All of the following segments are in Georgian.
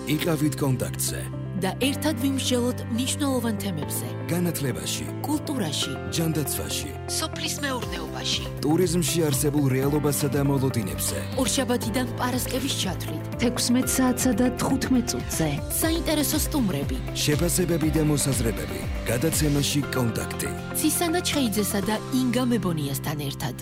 იყავით კონტაქტზე და ერთად ვიმსჯელოთ მნიშვნელოვან თემებზე. განათლებაში, კულტურაში, ჯანდაცვაში, სოფლის მეურნეობაში, ტურიზმში არსებულ რეალობასა და მოლოდინებზე. ორშაბათიდან პარასკევის ჩათვლით, 16 საათსა და 15 წუთზე. საინტერესო სტუმრები, შეფასებები და მოსაზრებები. გადაცემაში კონტაქტი. ცისანა ჩხეიძესა და ინგა მებონიასთან ერთად.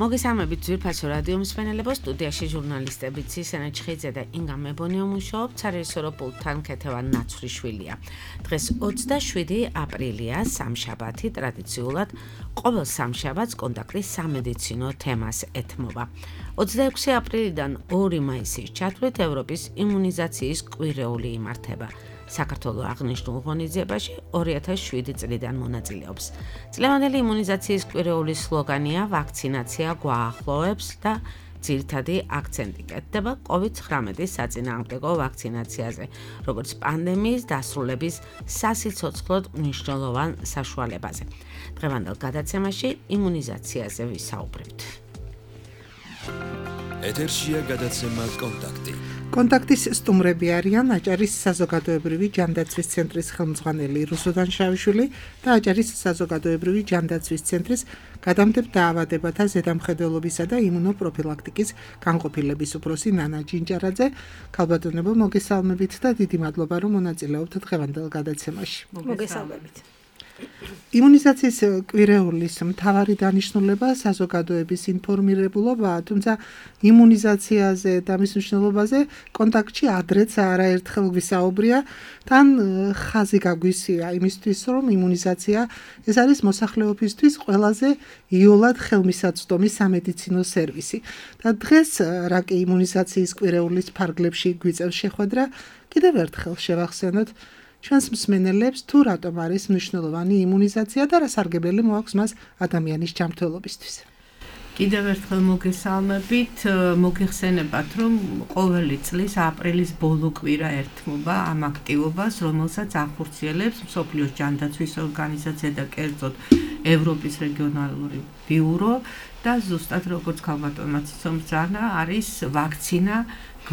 მოგესალმებით ძვირფასო რადიო მსმენელებო, სტუდიაში ჟურნალისტები ცისანა ჩხეიძე და ინგა მებონია მუშაობთ, სარეჟისორო პულტთან ქეთევან ნაცვლიშვილია. დღეს 27 აპრილია, სამშაბათი, ტრადიციულად ყოველ სამშაბათს კონტაქტის სამედიცინო თემას ეთმობა. 26 აპრილიდან 2 მაისის ჩათვლით ევროპის იმუნიზაციის კვირეული იმართება. საქართველოს აღნიშნულ ღონისძიებაში 2007 წლიდან მონაწილეობს. წლევანდელი იმუნიზაციის კვირეული სლოგანია „ვაქცინაცია გვაახლოვებს“ და ძირითადი აქცენტი კეთდება COVID-19 საწინააღმდეგო ვაქცინაციაზე, როგორც პანდემიის დასრულების სასიცოცხლოდ მნიშვნელოვან საშუალებაზე. დღევანდელ გადაცემაში იმუნიზაციაზე ვისაუბრებთ. ეთერშია გადაცემა კონტაქტი. კონტაქტის სტუმრები არიან აჭარის საზოგადოებრივი ჯანდაცვის ცენტრის ხელმძღვანელი რუსო დანშაიშვილი და აჭარის საზოგადოებრივი ჯანდაცვის ცენტრის გადამტებ დაავადებათა ზედამხედველობისა და იმუნოპროფილაქტიკის განყოფილების უფროსი ნანა ჯინჯარაძე. ქალბატონებო, მოგესალმებით და დიდი მადლობა, რომ მონაწილეობთ დღევანდელ გადაცემაში. მოგესალმებით. იმუნიზაციის კვირეულის მთავარი დანიშნულება საზოგადოების ინფორმირებულობაა, თუმცა იმუნიზაციაზე და მის მნიშვნელობაზე კონტაქტში ადრეც არაერთხელ ვისაუბრია, თან ხაზი გაგვისია იმისთვის, რომ იმუნიზაცია ეს არის მოსახლეობისთვის ყველაზე იოლად ხელმისაწვდომი სამედიცინო სერვისი. და დღეს რა კი იმუნიზაციის კვირეულის ფარგლებში გვიწევს შეხვედრა, კიდევ ერთხელ შევახსენოთ ჩვენს მსმენელებს თუ რატომ არის მნიშვნელოვანი იმუნიზაცია და რა სარგებლელი მოაქვს მას ადამიანის ჯანმრთელობისთვის. კიდევ ერთხელ მოგესალმებით, მოგეხსენებათ, რომ ყოველი წლის აპრილის ბოლო კვირა ერთმობა ამ აქტივობას, რომელსაც ახორციელებს მსოფლიოს ჯანდაცვის ორგანიზაცია და კერძოდ ევროპის რეგიონალური ბიურო და ზუსტად როგორც ქალბატონმა ციცომბძანა არის ვაქცინა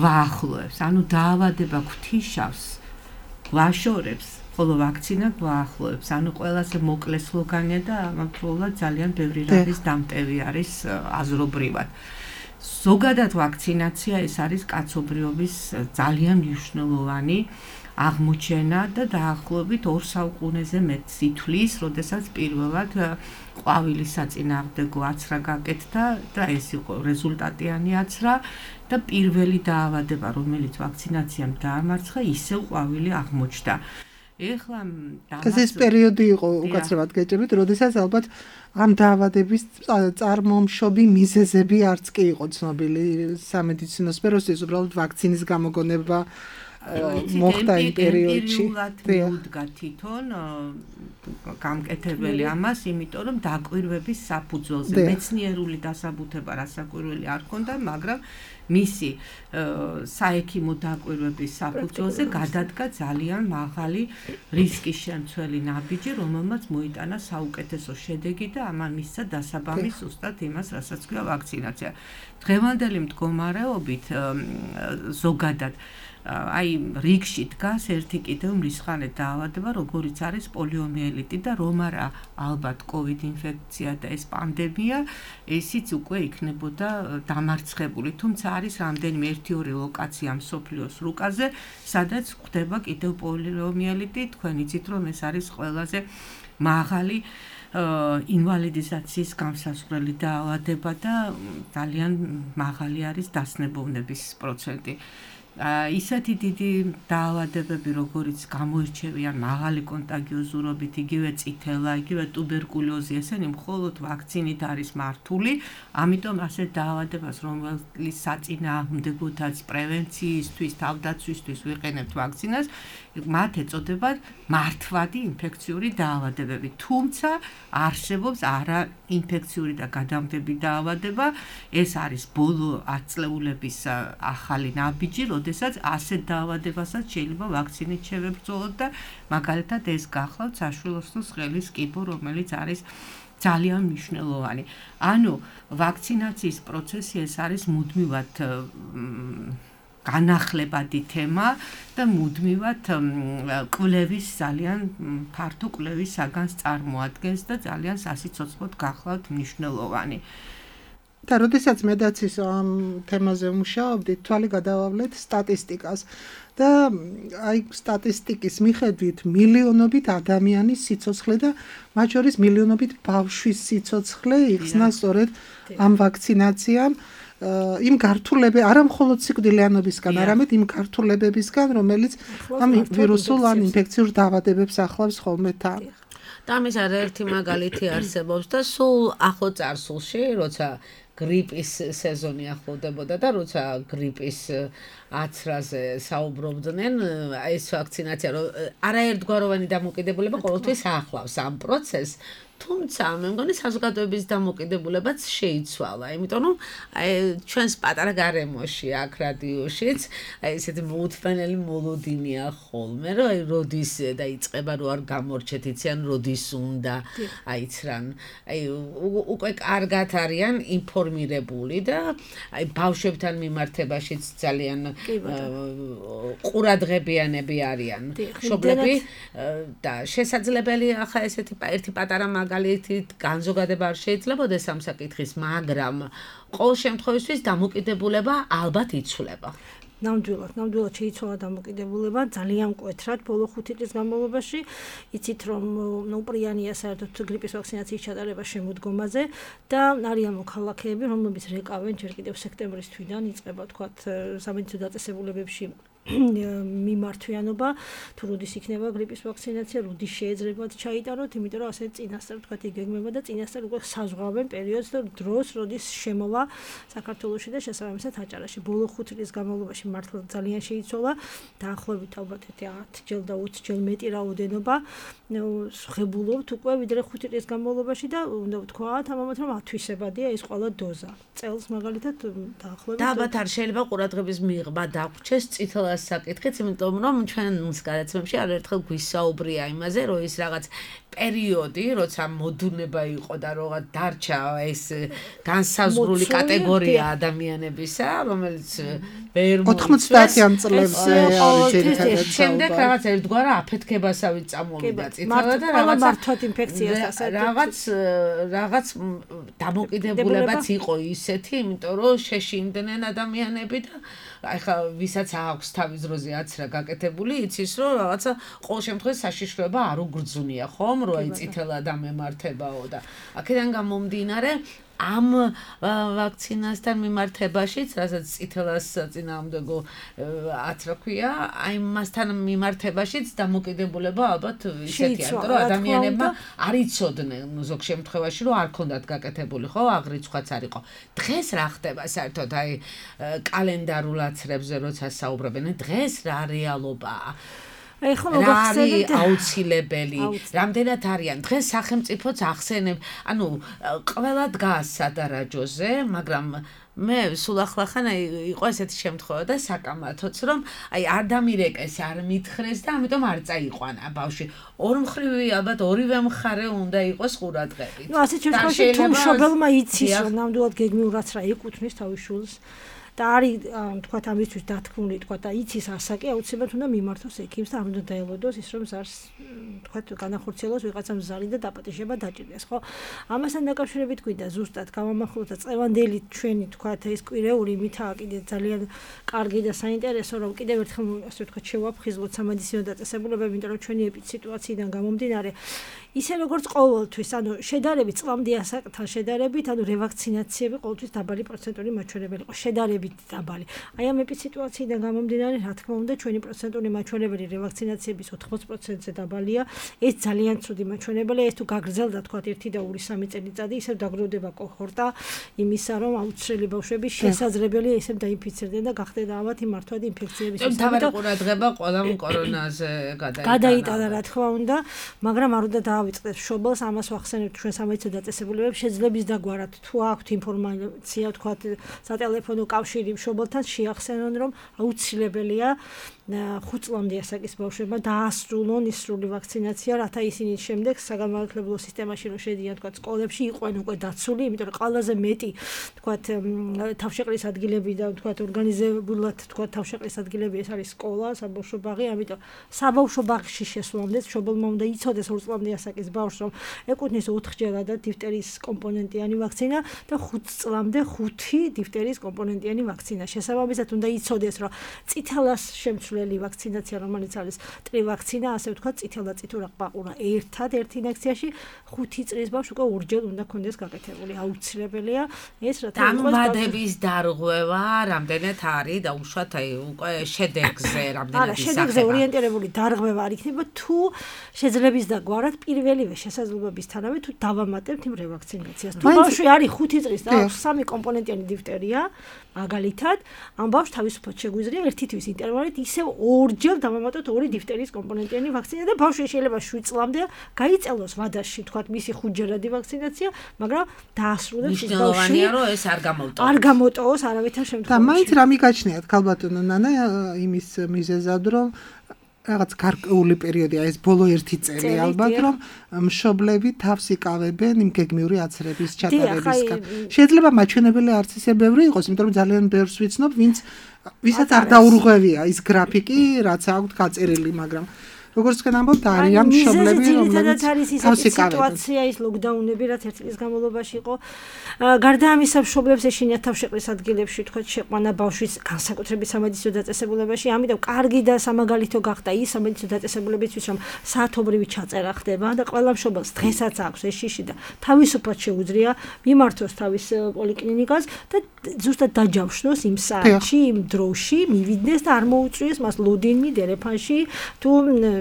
გვაახლოებს, ანუ დაავადება გვთიშავს გვაშორებს, ხოლო ვაქცინა გვაახლოებს, ანუ ყველაზე მოკლე სლოგანია და ამავდროულად ძალიან ბევრი რამის დამტევი არის აზრობრივად. ზოგადად ვაქცინაცია ეს არის კაცობრიობის ძალიან მნიშვნელოვანი აღმოჩენა და დაახლოებით 2 საუკუნეზე მეტს ითვლის, როდესაც პირველად ყვავილის საწინააღმდეგო აცრა გაკეთდა და ეს იყო რეზულტატიანი აცრა და პირველი დაავადება, რომელიც ვაქცინაციამ დაამარცხა, ისევ ყვავილი აღმოჩნდა. ეხლა ეს პერიოდი იყო უკაცრავად გეჭირვით, როდესაც ალბათ ამ დაავადების წარმომშობი მიზეზები არც კი იყო ცნობილი სამედიცინო სფეროსთვის, უბრალოდ ვაქცინის გამოგონება მოხდა იმ პერიოდში. მიუდგა თვითონ გამკეთებელი ამას, იმიტომ რომ დაკვირვების საფუძველზე მეცნიერული დასაბუთება რასაკვირველი არ ჰქონდა, მაგრამ მისი საექიმო დაკვირვების საფუძველზე გადადგა ძალიან მაღალი რისკის შემცველი ნაბიჯი, რომელმაც მოიტანა საუკეთესო შედეგი და ამან მისცა დასაბამი ზუსტად იმას, რასაც ქვია ვაქცინაცია. დღევანდელი მდგომარეობით ზოგადად აი რიგში დგას ერთი კიდევ მრისხანე დაავადება, როგორიც არის პოლიომიელიტი და რომ არა ალბათ COVID ინფექცია და ეს პანდემია, ესიც უკვე იქნებოდა დამარცხებული, თუმცა არის რამდენიმე 1-2 ლოკაცია მსოფლიოს რუკაზე, სადაც ხდება კიდევ პოლიომიელიტი, თქვენ იცით რომ ეს არის ყველაზე მაღალი ინვალიდიზაციის გამსასწრელი დაავადება და ძალიან მაღალი არის დასნებოვნების პროცენტი. ისეთი დიდი დაავადებები, როგორიც გამოირჩევიან მაღალი კონტაგიოზურობით, იგივე წითელა, იგივე ტუბერკულოზი, ესენი მხოლოდ ვაქცინით არის მართული, ამიტომ ასეთ დაავადებას, რომელიც საწინააღმდეგოთაც პრევენციისთვის, თავდაცვისთვის ვიყენებთ ვაქცინას, მათ ეწოდებათ მართვადი ინფექციური დაავადებები. თუმცა არსებობს არაინფექციური და გადამტები დაავადება, ეს არის ბოლო ათწლეულების ახალი ნაბიჯი, როდესაც ასეთ დაავადებასაც შეიძლება ვაქცინით შევებრძოლოთ და მაგალითად ეს გახლავთ საშვილოსნოს ხელის კიბო, რომელიც არის ძალიან მნიშვნელოვანი. ანუ ვაქცინაციის პროცესი ეს არის მუდმივად განახლებადი თემა და მუდმივად კვლევის ძალიან ფართო კვლევის საგანს წარმოადგენს და ძალიან სასიცოცხლოდ გახლავთ მნიშვნელოვანი. და როდესაც მე დაც ის ამ თემაზე ვმუშაობდით, თვალი გადავავლეთ სტატისტიკას და აი სტატისტიკის მიხედვით მილიონობით ადამიანის სიცოცხლე და მათ შორის მილიონობით ბავშვის სიცოცხლე იხსნა სწორედ ამ ვაქცინაციამ იმ გართულებები არა მხოლოდ სიკვდილიანობისგან, არამედ იმ გართულებებისგან, რომელიც ამ ვირუსულ ან ინფექციურ დაავადებებს ახლავს ხოლმე თან. და ამის არაერთი მაგალითი არსებობს და სულ ახლო წარსულში, როცა გრიპის სეზონი ახლოვდებოდა და როცა გრიპის აცრაზე საუბრობდნენ, ეს ვაქცინაცია არაერთგვაროვანი დამოკიდებულება ყოველთვის ახლავს ამ პროცესს. თუმცა მე მგონი საზოგადოების დამოკიდებულებაც შეიცვალა, იმიტომ რომ ჩვენს პატარა გარემოში აქ რადიოშიც ესეთი მოუთმენელი მოლოდინია ხოლმე, რომ როდის დაიწყება, რომ არ გამორჩეთ, იციან როდის უნდა აიცრან. უკვე კარგად არიან ინფორმირებული და ბავშვებთან მიმართებაშიც ძალიან ყურადღებიანები არიან მშობლები და შესაძლებელი ახლა ესეთი ერთი პატარა მაგალითით განზოგადება არ შეიძლებაოდეს ამ საკითხის, მაგრამ ყოველ შემთხვევაში დამოკიდებულება ალბათ იცვლება. ნამდვილად შეიცვალა დამოკიდებულება ძალიან მკვეთრად ბოლო 5 წლის განმავლობაში. იცით რომ პრიანია საერთოდ გრიპის ვაქცინაციის ჩატარება შემოდგომაზე და არიან მოქალაქეები, რომლებიც რეკავენ ჯერ კიდევ სექტემბრის თვიდან იწყება თქვათ სამედიცინო დაწესებულებებში მიმართვიანობა, თუ როდის იქნება გრიპის ვაქცინაცია, როდის შეეძლებათ ჩაიტაროთ, იმიტომ რომ ასე წინასწარ თქვათ იგეგმება და წინასწარ უკვე საზღვავენ პერიოდს და დროს, როდის შემოვა საქართველოში და შესაბამისად აჭარაში. ბოლო 5 წლის განმავლობაში მართლა ძალიან შეიცვალა, დაახლოებით ალბათ 10 და 20 ჯერ მეტი რაოდენობა ხებულობთ უკვე ვიდრე 5 წლის განმავლობაში და უნდა ვთქვათ ამამაც რომ ათვისებადია ეს ყველა დოზა. წელს მაგალითად დაახლოებით და ალბათ არ შეიძლება ყურადღების მიღება დაგვრჩეს წითელ საკითხიც, იმიტომ რომ ჩვენს გადაცემებში არაერთხელ გვისაუბრია იმაზე, რომ ის რაღაც პერიოდი, როცა მოდუნება იყო და რაღაც დარჩა ეს განსაზღვრული კატეგორია ადამიანებისა, რომელიც ვერ 90-იან წლებზე არის ერთადერთი. შემდეგ რაღაც ერთგვარა აფეთქებასავით წამოვიდა წითელი და მართვად ინფექციას რაღაც დამოკიდებულებაც იყო ისეთი, იმიტომ რომ შეშინდნენ ადამიანები და ახლა ვისაც აქვს თავის დროზე აცრა გაკეთებული, იცის რომ რაღაცა ყოველ შემთხვევაში საშიშროება არ უგრძნია, ხომ, რომ აი წითელად ამემართებაო და აქედან გამომდინარე ამ ვაქცინასთან მიმართებაშიც, რასაც წითელას წინააღმდეგო აცრა ქვია, აი მასთან მიმართებაშიც დამოკიდებულება ალბათ ისეთია, რომ ადამიანებმა არ იცოდნენ ზოგ შემთხვევაში, რომ არ ქონდათ გაკეთებული, ხო, აღრიცხვაც არ იყო. დღეს რა ხდება საერთოდ აი კალენდარულ აცრებზე როცა საუბრობენ, დღეს რა რეალობაა? რა არის აუცილებელი, რამდენად არიან დღეს სახელმწიფოც ახსენებს, ანუ ყველა დგას სადარაჯოზე, მაგრამ მე სულ ახლახან იყო ესეთი შემთხვევა და საკამათოც რომ აი არ დამირეკეს, არ მითხრეს და ამიტომ არ წაიყვანა ბავშვი. ორმხრივი ალბათ ორივე მხარე უნდა იყოს ყურადღებით. ნუ ასეთ შემთხვევაში თუ მშობელმა იცის რომ ნამდვილად გეგმიურად რა ეკუთვნის თავის შვილს და არის თქვათ ამისთვის დათქმული, თქვათ და იცის ასაკი, აუცილებლად უნდა მიმართოს ექიმს და არ უნდა დაელოდოს ის რომ ზარს თქვათ განახორციელოს ვიღაცამ ზარი და დაპატიჟება დაჭირდეს, ხო? ამასთან დაკავშირებით გვინდა ზუსტად გავამახვილოთ და წევანდელი ჩვენი თქვათ ეს კვირეული მითა კიდე ძალიან კარგი და საინტერესო რომ კიდევ ერთხელ ასე ვთქვათ შევაფხიზლოთ სამედიცინო დაწესებულებები, იმიტომ რომ ჩვენი ეპიდსიტუაციიდან გამომდინარე ისე როგორც ყოველთვის, ანუ შედარებით წლამდე ასაკთან შედარებით, ანუ რევაქცინაციები ყოველთვის დაბალი პროცენტული მაჩვენებელი იყო, შედარებით დაბალი. აი ამ ეპიდსიტუაციიდან გამომდინარე, რა თქმა უნდა, ჩვენი პროცენტული მაჩვენებელი რევაქცინაციების 80%-ზე დაბალია. ეს ძალიან ცუდი მაჩვენებელია, ეს თუ გაგრძელდა თქვათ 1 და 2-3 წელიწადი, ისევ დაგროვდება კოჰორტა იმისა, რომ აუცილებელი ბავშვები შესაძლებელია ისევ დაინფიცირდნენ და გახდება ალბათ მართვად ინფექციების შესაძლებელი. თავი ყურადღება ყველამ კორონაზე გადაიტანა, რა თქმა უნდა, მაგრამ არ უნდა დავიწყდეთ მშობელს, ამას ვახსენებთ ჩვენ სამედიცინო დაწესებულებებში, შეძლებს დაგვარად თუ აქვთ ინფორმაცია, თქვათ სატელეფონო კავშირი მშობელთან შეახსენონ, რომ აუცილებელია 5 წლამდე ასაკის ბავშვებმა დაასრულონ ის სრული ვაქცინაცია, რათა ისინი შემდეგ საგანმანათლებლო სისტემაში რომ შედიან, თქვა, სკოლებში იყვნენ უკვე დაცული, იმიტომ რომ ყველაზე მეტი, თქვა, თავშეყრის ადგილები და თქვა, ორგანიზებულად, თქვა, თავშეყრის ადგილები ეს არის სკოლა, საბავშვო ბაღი, ამიტომ საბავშვო ბაღში შესვლამდე მშობელმა უნდა იცოდეს 2 წლამდე ასაკის ბავშვს, რომ ეკუთვნის 4-ჯერადად დიფტერის კომპონენტიანი ვაქცინა და 5 წლამდე 5 დიფტერის კომპონენტიანი ვაქცინა. შესაბამისად უნდა იცოდეს, რომ წითელას შემცვლელი ვაქცინაცია, რომელიც არის ტრივაქცინა, ასე ვთქვათ, წითელ და წითურა ყბაყურა ერთად ერთ ინექციაში 5 წლის ბავშვს უკვე ორჯერ უნდა კონდეს გაკეთებული. აუცილებელია ეს რათა დამბადების დარღვევა რამდენად არის და უშუალოდ უკვე შედეგზე რამდენად ისახება. შედეგზე ორიენტირებული დარღვევა არ იქნება თუ შეძლებს და გვარად პირველივე შესაძლებლობისთანავე თუ დავამატებთ იმ რევაქცინაციას. თუ ბავშვი არის 5 წლის და აქვს 3 კომპონენტიანი დიფტერია, მაგალითად, ამ ბავშვს თავისუფლად შეგვიძლია ერთი თვის ინტერვალით ისევ ორჯერ დავამატოთ 2 დიფტერის კომპონენტიანი ვაქცინა და ბავშვი შეიძლება 7 წლამდე გაიწელოს ვადაში, თქვათ, მისი 5-ჯერადი ვაქცინაცია, მაგრამ დაასრულებს ის ბავშვი. მნიშვნელოვანია, რომ ეს არ გამოვტოვოს. არ გამოვტოვოს არავითარ შემთხვევაში. და მაინც რა მიგაჩნიათ, ქალბატონო ნანა, იმის მიზეზად, რომ რაღაც გარკვეული პერიოდია, ეს ბოლო 1 წელი ალბათ, რომ მშობლები თავს იკავებენ იმ გეგმიური აცრების ჩატარებისგან. შეიძლება მაჩვენებელი არც ისე ბევრი იყოს, იმიტომ რომ ძალიან ბევრს ვიცნობ, ვისაც არ დაურღვევია ის გრაფიკი, რაც აქვს გაწერილი, მაგრამ როგორც თქვენ ამბობთ, არიან მშობლები, რომლებიც თავს იკავებენ. სიტუაცია ის ლოკდაუნები, რაც 1 წლის განმავლობაში იყო. გარდა ამისა, მშობლებს ეშინიათ თავშეყრის ადგილებში, თქვათ, შეყვანა ბავშვის განსაკუთრებით სამედიცინო დაწესებულებაში, ამიტომ კარგი და სამაგალითო გახდა ის სამედიცინო დაწესებულებისთვის, რომ საათობრივი ჩაწერა ხდება და ყველა მშობელს დღესაც აქვს ეს შიში და თავისუფლად შეუძლია მიმართოს თავის პოლიკლინიკას და ზუსტად დაჯავშნოს იმ საათში, იმ დროში, მივიდეს და არ მოუწვიეს მას ლოდინი, დერეფანში თუ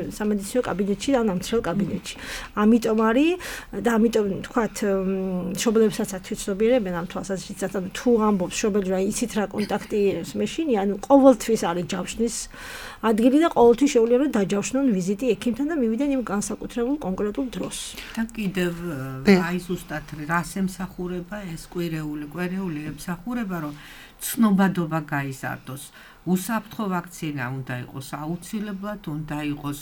სამედიცინო კაბინეტში და ნამცრელ კაბინეტში. ამიტომ არის და ამიტომ თქვათ მშობლებსაც ათვისობიერებენ ამ თვალსაზრისით, თუ ამბობს მშობელი რა იცით რა კონტაქტი მეშინი, ანუ ყოველთვის არის ჯავშნის ადგილი და ყოველთვის შეუძლია რომ დაჯავშნონ ვიზიტი ექიმთან და მივიდნენ იმ განსაკუთრებულ კონკრეტულ დროს. და კიდევ აი ზუსტად რას ემსახურება ეს კვირეული ემსახურება, რომ ცნობადობა გაიზარდოს. უსაფრთხო ვაქცინა უნდა იყოს აუცილებლად, უნდა იყოს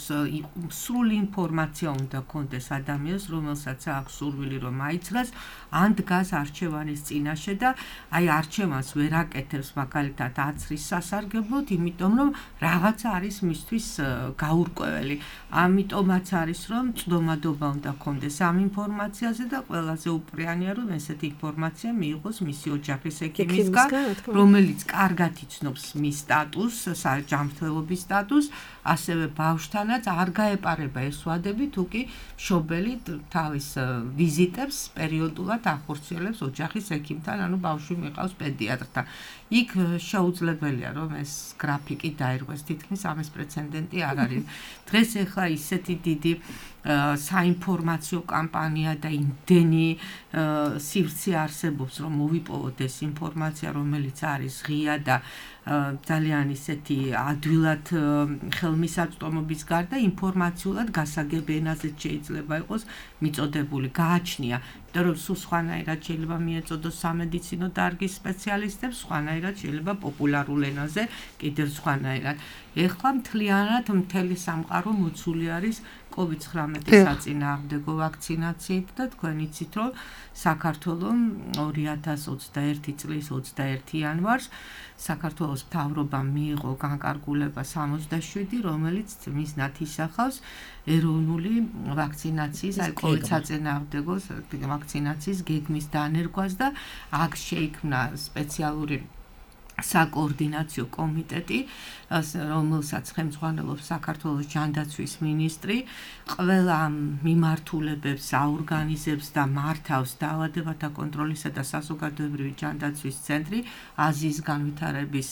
სრული ინფორმაცია უნდა კონდეს ადამიანს, რომელსაც აქვს სურვილი რომ აიცრას, ან დგას არჩევანის წინაშე და აი არჩევანს ვერ აკეთებს მაგალითად აცრის სასარგებლოდ, იმიტომ რომ რაღაცა არის მისთვის გაურკვეველი. ამიტომაც არის რომ წვდომადობა უნდა კონდეს ამ ინფორმაციაზე და ყველაზე უპრიანია რომ ესეთი ინფორმაცია მიიღოს მისი ოჯახის ექიმისგან, რომელიც კარგად იცნობს მის სტატუსს, ჯანმრთელობის სტატუსს, ასევე ბავშვთანაც არ გაეპარება ეს ვადები, თუ კი მშობელი თავის ვიზიტებს პერიოდულად ახორციელებს ოჯახის ექიმთან, ანუ ბავშვი მიყავს პედიატრთან. იქ შეუძლებელია რომ ეს გრაფიკი დაირღვეს, თითქმის ამის პრეცედენტი არ არის. დღეს ახლა ისეთი დიდი საინფორმაციო კამპანია და იმდენი სივრცე არსებობს, რომ მოვიპოვოთ ეს ინფორმაცია, რომელიც არის ღია და ძალიან ისეთი ადვილად ხელმისაწვდომობის გარდა ინფორმაციულად გასაგებ ენაზე შეიძლება იყოს მიწოდებული, გააჩნია, იმიტომ რომ სულ სხვანაირად შეიძლება მიეწოდოს სამედიცინო დარგის სპეციალისტებს, სხვანაირად შეიძლება პოპულარულ ენაზე, კიდევ სხვანაირად. ეხლა მთლიანად მთელი სამყარო მოცული არის COVID-19 საწინააღმდეგო ვაქცინაციით და თქვენ იცით, რომ საქართველოს 2021 წლის 21 იანვარს საქართველოს მთავრობამ მიიღო განკარგულება 67, რომელიც მიზნად ისახავს ეროვნული ვაქცინაციის, აი COVID საწინააღმდეგო ვაქცინაციის გეგმის დანერგვას და აქ შეიქმნა სპეციალური საკოორდინაციო კომიტეტი, რომელსაც ხელმძღვანელობს საქართველოს ჯანდაცვის მინისტრი, ყველა მიმართულებებს აორგანიზებს და მართავს დაავადებათა კონტროლისა და საზოგადოებრივი ჯანდაცვის ცენტრი აზიის განვითარების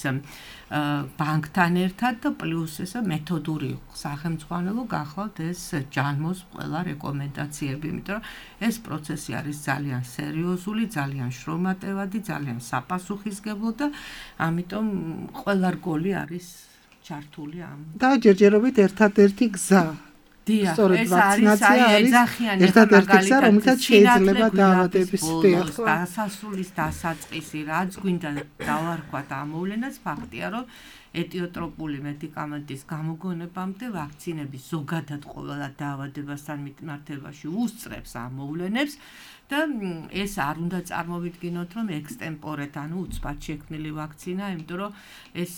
ბანკთან ერთად და პლუს ეს მეთოდური სახელმძღვანელო გახლავთ ეს ჯანმოს ყველა რეკომენდაციები, იმიტომ რომ ეს პროცესი არის ძალიან სერიოზული, ძალიან შრომატევადი, ძალიან საპასუხისმგებლო და ამიტომ ყველა რგოლი არის ჩართული ამ. და ჯერჯერობით ერთადერთი გზა სწორედ ვაქცინაცია არის ერთადერთი გზა, რომელთაც შეიძლება დაავადების დასასრულის დასაწყისი, რაც გვინდა დავარქვათ ამოვლენას, ფაქტია, რომ ეტიოტროპული მედიკამენტის გამოგონებამდე ვაქცინები ზოგადად ყველა დაავადებასთან მიმართებაში უსწრებს ამოვლენებს და ეს არ უნდა წარმოვიდგინოთ, რომ ექსტემპორეთ, ანუ უცბად შექმნილი ვაქცინა, იმიტომ რომ ეს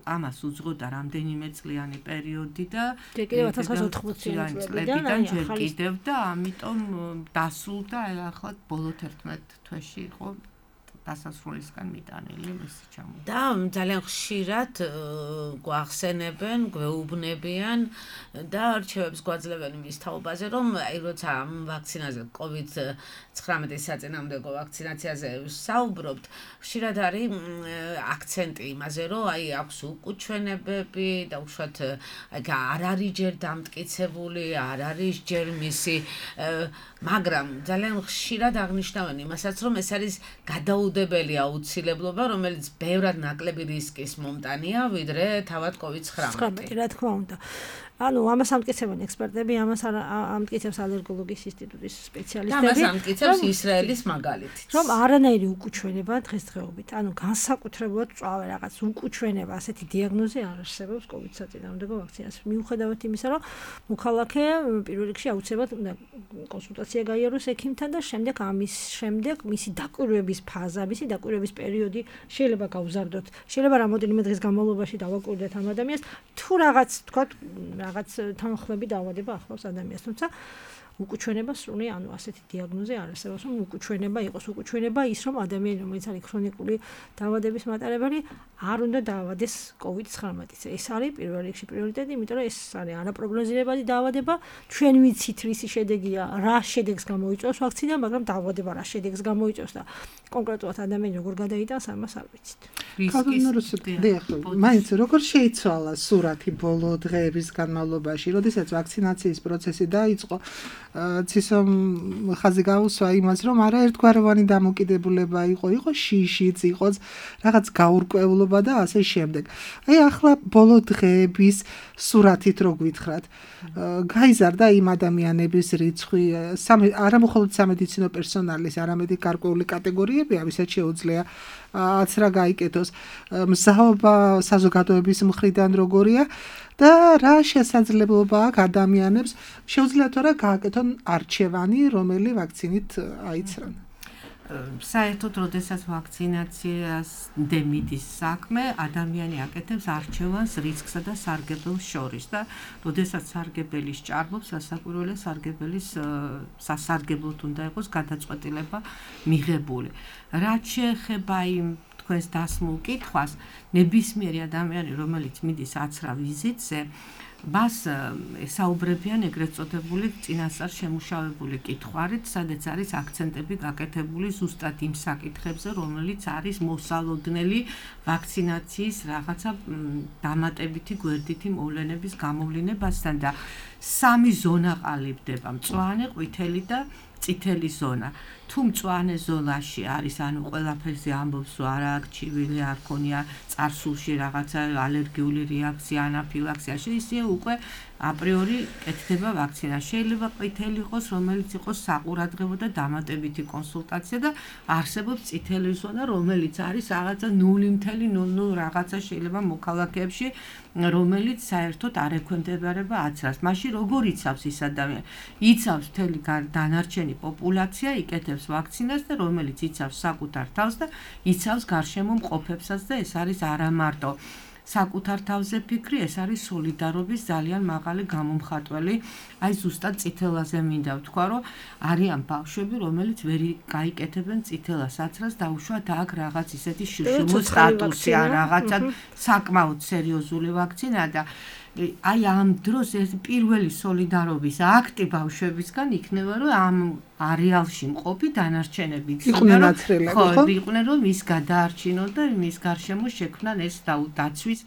ამას უძღოდა რამდენიმე წლიანი პერიოდი და კიდევ 1980 წლებიდან ჯერ კიდევ და ამიტომ დასრულდა ახლა ბოლო 11 თვეში იყო დასასრულისგან მიტანილი მისი ჩამოყალიბება. და ძალიან ხშირად გვახსენებენ, გვეუბნებიან და არჩევებს გვაძლევენ იმის თაობაზე, რომ აი როცა ამ ვაქცინაზე COVID-19 საწინააღმდეგო ვაქცინაციაზე საუბრობთ, ხშირად არის აქცენტი იმაზე, რომ აი აქვს უკუჩვენებები და უშუალოდ აი არ არის ჯერ დამტკიცებული, არ არის ჯერ მისი მაგრამ ძალიან ხშირად აღნიშნავენ იმასაც, რომ ეს არის გადაუდებელი აუცილებლობა, რომელიც ბევრად ნაკლები რისკის მომტანია, ვიდრე თავად COVID-19. რა თქმა უნდა. ანუ ამას ამტკიცებენ ექსპერტები, ამას ამტკიცებს ალერგოლოგიის ინსტიტუტის სპეციალისტები. ამას ამტკიცებს ისრაელის მაგალითიც. რომ არანაირი უკუჩვენება დღესდღეობით, ანუ განსაკუთრებულად წვავე რაღაც უკუჩვენება, ასეთი დიაგნოზი არ არსებობს COVID საწინააღმდეგო ვაქცინას. მიუხედავად იმისა, რომ მოქალაქე პირველ რიგში აუცილებლად უნდა კონსულტაცია გაიაროს ექიმთან და შემდეგ ამის შემდეგ მისი დაკვირვების ფაზა, მისი დაკვირვების პერიოდი შეიძლება გავზარდოთ. შეიძლება რამოდენიმე დღის განმავლობაში დავაკვირდეთ ამ ადამიანს, თუ რაღაც თქვა რაღაც თანხლები დაავადება ახლავს ადამიანს, თუმცა უკუჩვენება სრული, ანუ ასეთი დიაგნოზი არ არსებობს, რომ უკუჩვენება იყოს. უკუჩვენება ის, რომ ადამიანი, რომელიც არის ქრონიკული დაავადების მატარებელი, არ უნდა დაავადეს COVID-19. ეს არის პირველ რიგში პრიორიტეტი, იმიტომ რომ ეს არის არაპროგნოზირებადი დაავადება. ჩვენ ვიცით, რისი შედეგია, რა შედეგს გამოიწვევს ვაქცინა, მაგრამ დაავადება რა შედეგს გამოიწვევს და კონკრეტულად ადამიანი როგორ გადაიტანს, ამას არ ვიცით. მაინც როგორ შეიცვალა სურათი ბოლო დღეების განმავლობაში, როდესაც ვაქცინაციის პროცესი დაიწყო, ცისომ ხაზი გაუსვა იმას, რომ არაერთგვაროვანი დამოკიდებულება იყო შიშიც, იყო რაღაც გაურკვევლობა და ასე შემდეგ. აი ახლა ბოლო დღეების სურათით რო გვითხრათ, გაიზარდა იმ ადამიანების რიცხვი, არამხოლოდ სამედიცინო პერსონალის, არამედ გარკვეული კატეგორიები, ვისაც შეუძლია აცრა გაიკეთოს, მსაობა საზოგადოების მხრიდან როგორია და რა შესაძლებლობა აქვს ადამიანებს შეუძლიათ რა გააკეთონ არჩევანი, რომელი ვაქცინით აიცრან. საერთოდ, როდესაც ვაქცინაციას დემიდის საქმე, ადამიანი აკეთებს არჩევანს რისკსა და სარგებელს შორის და როდესაც სარგებელი სჭარბობს, სასაკვირველია სასარგებლოდ უნდა იყოს გადაწყვეტილება მიღებული. რაც შეეხება იმ თქვენს დასმულ კითხვას, ნებისმიერი ადამიანი, რომელიც მიდის აცრა ვიზიტზე, მას საუბრებიან ეგრეთ წოდებული წინასწარ შემუშავებული კითხვარით, სადაც არის აქცენტები გაკეთებული ზუსტად იმ საკითხებზე, რომელიც არის მოსალოდნელი ვაქცინაციის რაღაცა დამატებითი გვერდითი მოვლენების გამოვლინებასთან და სამი ზონა ყალიბდება: მწვანე, ყვითელი და წითელი ზონა. თუ მწვანე ზონაში არის, ანუ ყველაფერზე ამბობს, რომ არა აქვს ჩივილი, არ ქონია წარსულში რაღაცა ალერგიული რეაქცია, ანაფილაქსია, ისე უკვე აპრიორი კეთდება ვაქცინა. შეიძლება ყვითელი იყოს, რომელიც იყოს საყურადღებო და დამატებითი კონსულტაცია და არსებობს წითელი ზონა, რომელიც არის რაღაცა 0.00 რაღაცა შეიძლება მოქალაქეებში, რომელიც საერთოდ არ ექვემდებარება აცრას. მაშინ როგორ იცავს ის ადამიანი? იცავს მთელი დანარჩენი პოპულაცია, იკეთებს ვაქცინას და რომელიც იცავს საკუთარ თავს და იცავს გარშემო მყოფებსაც და ეს არის არა მარტო საკუთარ თავზე ფიქრი, ეს არის სოლიდარობის ძალიან მაღალი გამომხატველი. აი ზუსტად წითელაზე მინდა ვთქვა, რომ არიან ბავშვები, რომელიც ვერ გაიკეთებენ წითელას აცრას და უშუალოდ აქ რაღაც ისეთი შიშუმო სტატუსი ან რაღაცა საკმაოდ სერიოზული ვაქცინა და აი ამ დროს ეს პირველი სოლიდარობის აქტი ბავშვებისგან იქნება, რომ ამ არეალში მყოფი დანარჩენები იყვნენ აცრელები, ხო, იყვნენ, რომ ის გადაარჩინონ და მის გარშემო შექმნან ეს დაცვის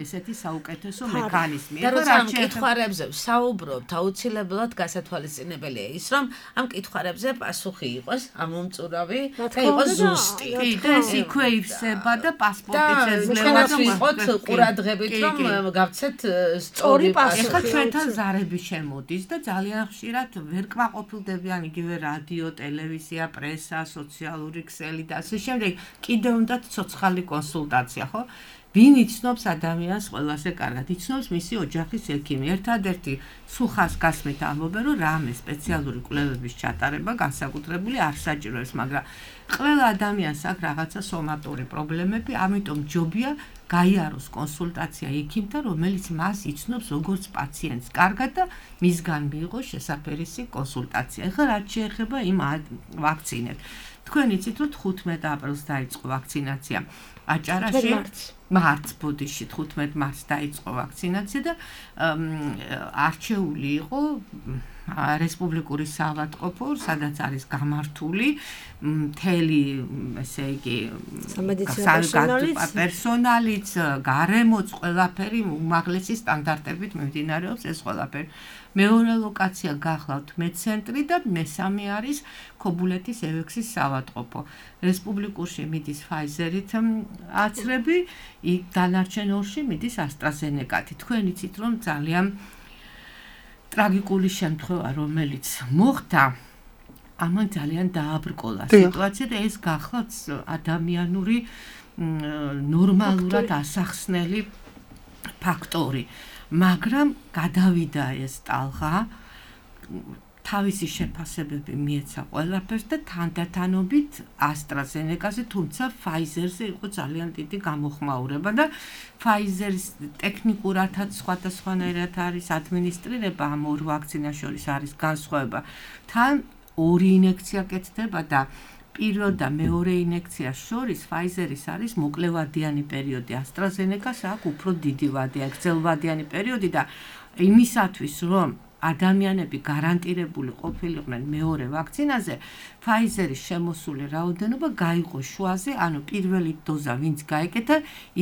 ესეთი საუკეთესო მექანიზმი. და როცა ამ კითხვარებზე საუბრობთ, აუცილებლად გასათვალისწინებელია ის, რომ ამ კითხვარებზე პასუხი იყოს ამომწურავი და იყოს ზუსტი. და ეს იქვე ივსება და პასპორტი შეძლება. და ვიყოთ ყურადღებით, რომ გავცეთ სწორი პასუხი. ეხლა ჩვენთან ზარები შემოდის და ძალიან ხშირად ვერ კმაყოფილდებიან იგივე რადიო, ტელევიზია, პრესა, სოციალური ქსელი და ასე შემდეგ. კიდევ უნდათ ცოცხალი კონსულტაცია, ხო? ვინ იცნობს ადამიანს ყველაზე კარგად? იცნობს მისი ოჯახის ექიმი. ერთადერთი სუხას გასმით ამბობენ, რომ რამე სპეციალური კვლევების ჩატარება განსაკუთრებული არ საჭიროებს, მაგრამ ყველა ადამიანს აქვს რაღაცა სომატური პრობლემები, ამიტომ ჯობია გაიაროს კონსულტაცია ექიმთან, რომელიც მას იცნობს როგორც პაციენტს კარგად და მისგან მიიღოს შესაფერისი კონსულტაცია. ეხლა რაც შეეხება იმ ვაქცინებს. თქვენ იცით, რომ 15 აპრილს დაიწყო ვაქცინაცია აჭარაში. მარტს ბოდიში 15 მარტს დაიწყო ვაქცინაცია და არჩეული იყო რესპუბლიკური საავადმყოფო, სადაც არის გამართული მთელი, ესე იგი, პერსონალიც, გარემოც, ყველაფერი უმაღლესი სტანდარტებით მიმდინარეობს ეს ყველაფერი. მეორე ლოკაცია გახლავთ მეცენტრი და მესამე არის ქობულეთის ევექსის საავადმყოფო. რესპუბლიკურში მიდის ფაიზერით აცრები, იქ დანარჩენ ორში მიდის ასტრაზენეკათი. თქვენ იცით, რომ ძალიან ტრაგიკული შემთხვევა, რომელიც მოხდა, ამან ძალიან დააბრკოლა სიტუაცია და ეს გახლავთ ადამიანური ნორმალურად ასახსნელი ფაქტორი. მაგრამ გადავიდა ეს ტალღა, თავისი შეფასებები მიეცა ყველაფერს და თანდათანობით AstraZeneca-ზე, თუმცა Pfizer-ზე იყო ძალიან დიდი გამოხმაურება და Pfizer-ის ტექნიკურადაც სხვადასხვანაირად არის ადმინისტრირება ამ ორ ვაქცინას შორის არის განსხვავება. თან ორი ინექცია კეთდება და პირველ და მეორე ინექციას შორის Pfizer-ის არის მოკლევადიანი პერიოდი, AstraZeneca-ს აქვს უფრო დიდი ვადიანი, გრძელვადიანი პერიოდი და იმისათვის რომ ადამიანები გარანტირებული ყოფილიყვნენ მეორე ვაქცინაზე, Pfizer-ის შემოსული რაოდენობა გაიყო შუაზე, ანუ პირველი დოზა ვინც გაეკეთა,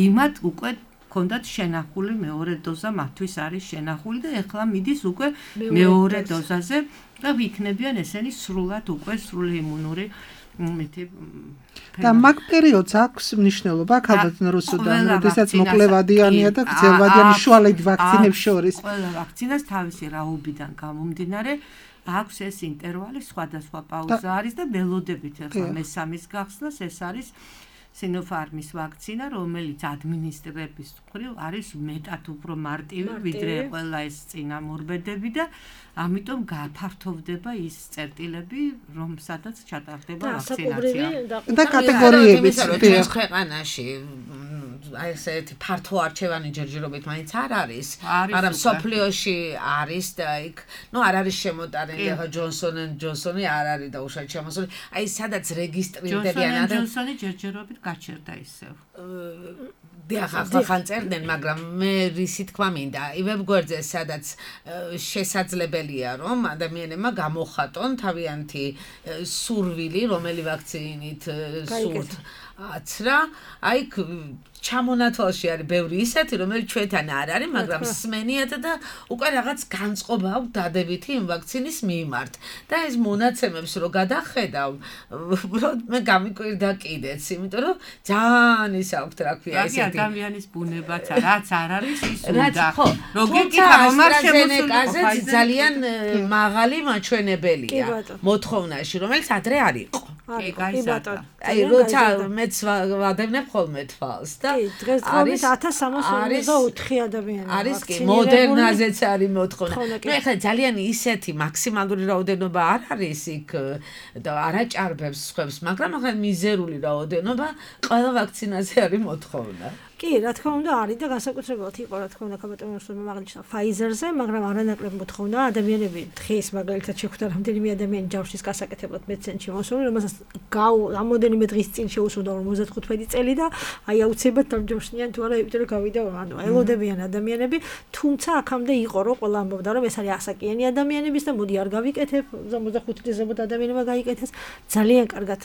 იმათ უკვე ქონდათ შენახული მეორე დოზა, მათთვის არის შენახული და ეხლა მიდის უკვე მეორე დოზაზე და ვიქნებიან ესენი სრულად უკვე სრული იმუნური და მაგ პერიოდს აქვს მნიშვნელობა ალბათ რუსუდან, როდესაც მოკლევადიანია და გრძელვადიანი შუალედ ვაქცინებს შორის. ყველა ვაქცინას თავისი რაობიდან გამომდინარე აქვს ეს ინტერვალი, სხვადასხვა პაუზა არის და ველოდებით ახლა მესამის გახსნას ეს არის Sinopharm-ის ვაქცინა, რომელიც ადმინისტრების მხრივ არის მეტად უფრო მარტივი, ვიდრე ყველა ეს წინამორბედები და ამიტომ გაფართოვდება ის წერტილები, რომ სადაც ჩატარდება ვაქცინაცია. და კატეგორიებიც ჩვენს ქვეყანაში აი ესეთი ფართო არჩევანი ჯერჯერობით მაინც არ არის, მაგრამ სოფლიოში არის და იქ, არ არის შემოტანილი, ახლა ჯონსონი არ არის და უშუალოდ შემოსული. აი სადაც რეგისტრირდებიან ჯონსონი ჯერჯერობით გაჩერდა ისევ. ახლა წერდნენ, მაგრამ მე რისი თქმა მინდა, ივებ გვერდზე სადაც შესაძლებელია, რომ ადამიანებმა გამოხატონ თავიანთი სურვილი, რომელი ვაქცინით სურთ აცრა, აი ჩამონათვალში არის ბევრი ისეთი, რომელიც ჩვენთან არ არის, მაგრამ სმენიათ და უკვე რაღაც განწყობა აქვს დადებითი იმ ვაქცინის მიმართ. და ეს მონაცემებს რო გადახედავ, უბრალოდ მე გამიკვირდა კიდეც, იმიტომ რომ ძალიან ის აქვს, რა ქვია, ესეთი ადამიანის ბუნებაც რაც არ არის ის უნდა. როგორია რომ არ შემოსული ძალიან მაღალი მაჩვენებელია მოთხოვნაში, რომელიც ადრე არ იყო. აი როცა მეც ვადევნებ ხოლმე თვალს და დღესდღეობით 1324 ადამიანი არის კი მოდერნაზეც არის მოთხოვნა. ეხლა ძალიან ისეთი მაქსიმალური რაოდენობა არ არის იქ და არაჭარბებს სხვებს, მაგრამ ახლა მიზერული რაოდენობა ყველა ვაქცინაზე არის მოთხოვნა. კი, რა თქმა უნდა არის და განსაკუთრებულად იყო რა თქმა უნდა კაბატონოსმა მაგალითად Pfizer-ზე, მაგრამ არანაკლებ მოთხოვნა ადამიანები დღეს მაგალითად შეხვდა რამდენიმე ადამიანი ჯავშის გასაკეთებლად მეცენში მოსული, რომელსაც რამოდენიმე დღის წინ შეუსრულდა 55 წელი და აი აუცილებლად დამჯოშნიან თუ არა, იმიტომ რომ გავიდა ელოდებიან ადამიანები, თუმცა აქამდე იყო რომ ყველა ამბობდა რომ ეს არის ასაკიანი ადამიანების და მოდი არ გავიკეთებ, 65 წლის ზემოთ ადამიანებმა გაიკეთეს, ძალიან კარგად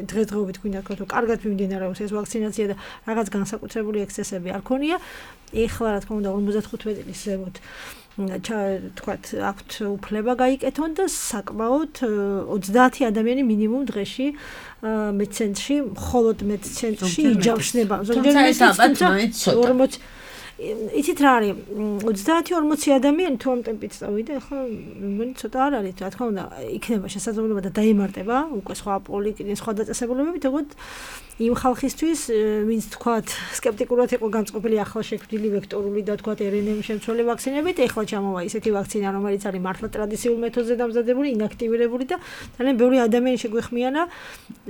დღესდღეობით გვინდა თქვა თუ კარგად მიმდინარეობს ეს ვაქცინაცია და რაღაც განსაკუთრებული ექსცესები არ ქონია. ეხლა რა თქმა უნდა 55 წლის ზემოთ თქვათ აქვთ უფლება გაიკეთონ და საკმაოდ 30 ადამიანი მინიმუმ დღეში მეცენტრში, მხოლოდ მეცენტრში იჯავშნება. თუმცა ეს ალბათ მაინც ცოტა. იცით რა არის 30-40 ადამიანი თუ ამ ტემპით წავიდა ახლა მეგონი ცოტა არ არის რა თქმა უნდა იქნება შესაძლებლობა და დაემარტება უკვე სხვა პოლიტიკის სხვა დაწესებულებებით თქო იმ ხალხისთვის ვინც თქვათ სკეპტიკურად იყო განწყობილი ახლა შექმნილი ვექტორული და თქვათ RNA შემცველი ვაქცინებით ეხლა ჩამოვა ისეთი ვაქცინა რომელიც არის მართლა ტრადიციულ მეთოდზე დამზადებული ინაქტივირებული და ძალიან ბევრი ადამიანი შეგვეხმიანა